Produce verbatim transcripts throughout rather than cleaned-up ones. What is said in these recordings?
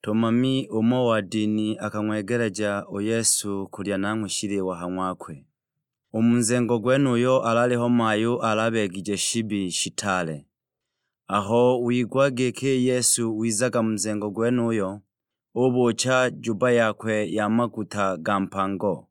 Tumami umo wa dini akang'wegeleja u Yesu kulya nanghwe shiliwa ha ng'wakwe. U mu nzengo gwenuyo alaliho mayu alabegije shibi shitale. Aho wigwa giki Yesu wizaga mu nzengo gwenuyo, ubucha juba yakwe ya maguta ga mpango,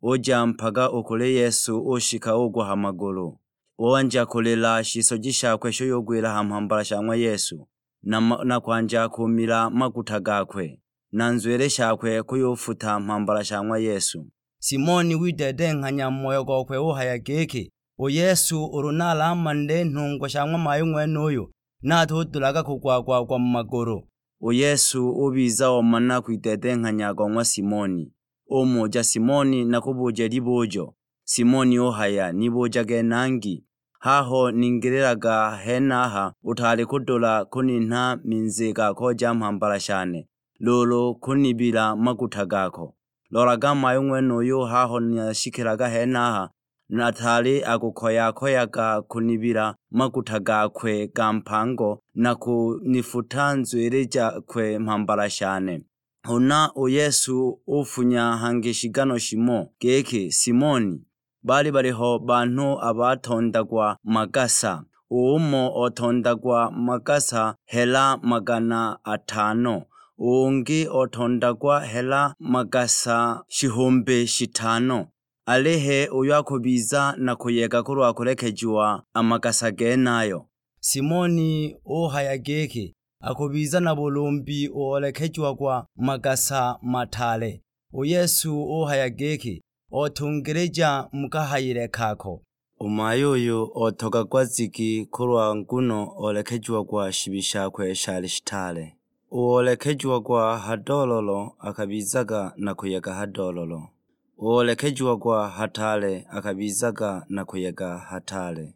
uja mpaga u kuli Yesu, ushika ugwa ha magulu. Wanja kulila, shisoji shakwe shuyugwila ha mhambala sha ng'wa Yesu, na, ma- na kwanja kumila maguta gakwe, na nzwili shakwe kuyufuta mhambala sha ng'wa Yesu. Simoni wideedenghanya mu moyo gokwe uhaya giki, "U Yesu ulu nalamanile nhungwa sha ng'wa mayu ng'wenuyu, natudulaga kugwagwagwa mu magulu." U Yesu ubiza omana kwideedenghanya go ng'wa Simoni. Umuja Simoni, "Nakubuuje libujo." Simoni uhaya, "Nibujage nangi. Haho ningililaga henaha, utaali kudula kuninha minzi ga koja mhambala shane, luulu kunibila maguta gako. Lolaga mayu ng'wenuyu, haho nashikilaga henaha, nataali akukoya-koyaga kunibila maguta gakwe ga mpango na kunifuta nzwili jakwe mhambala shane." Huna u Yesu ufunya hangi shigano shimo giki, "Simoni, baali baliho banhu abatondagwa magasa, umo otondagwa magasa hela magana atano, ungi otondagwa hela magasa shihumbi shitano. Alihe uyo akubiza na kuyega kulwa kulekejiwa a magasa genayo?" Simoni uhaya giki, "Akubiza na bulumbi u olekejiwagwa magasa mataale." U Yesu uhaya giki, "Otungilija mu kahayile kako." U mayu uyu otogagwa zigi kulwa nguno olekejiwagwa shibi shakwe shali shitaale. U olekejiwagwa ha doololo akabizaga na kuyega ha doololo. U olekejiwagwa hataale akabizaga na kuyega hataale.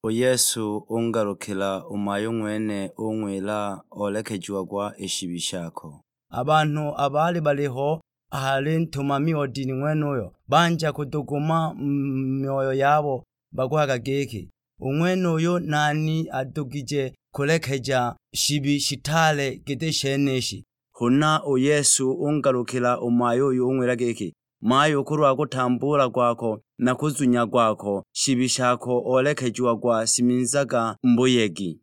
U Yesu ungalukila u mayu ng'wene, ung'wila, "Olekejiwagwa i shibi shako." A banhu abaali baliho a hali ntumami o dini ng'wenuyo, banja kuduguma mu myoyo yabo, bakuhaga giki, "U ng'wenuyu nani adugije kulekeja shibi shitaale giti shenishi?" Huna u Yesu ungalukila u mayu uyu, ung'wila giki, "Mayu, kulwa kutambuula kwako na kuzunya kwako, shibi shako olekejiwagwa, siminzaga mu buyegi."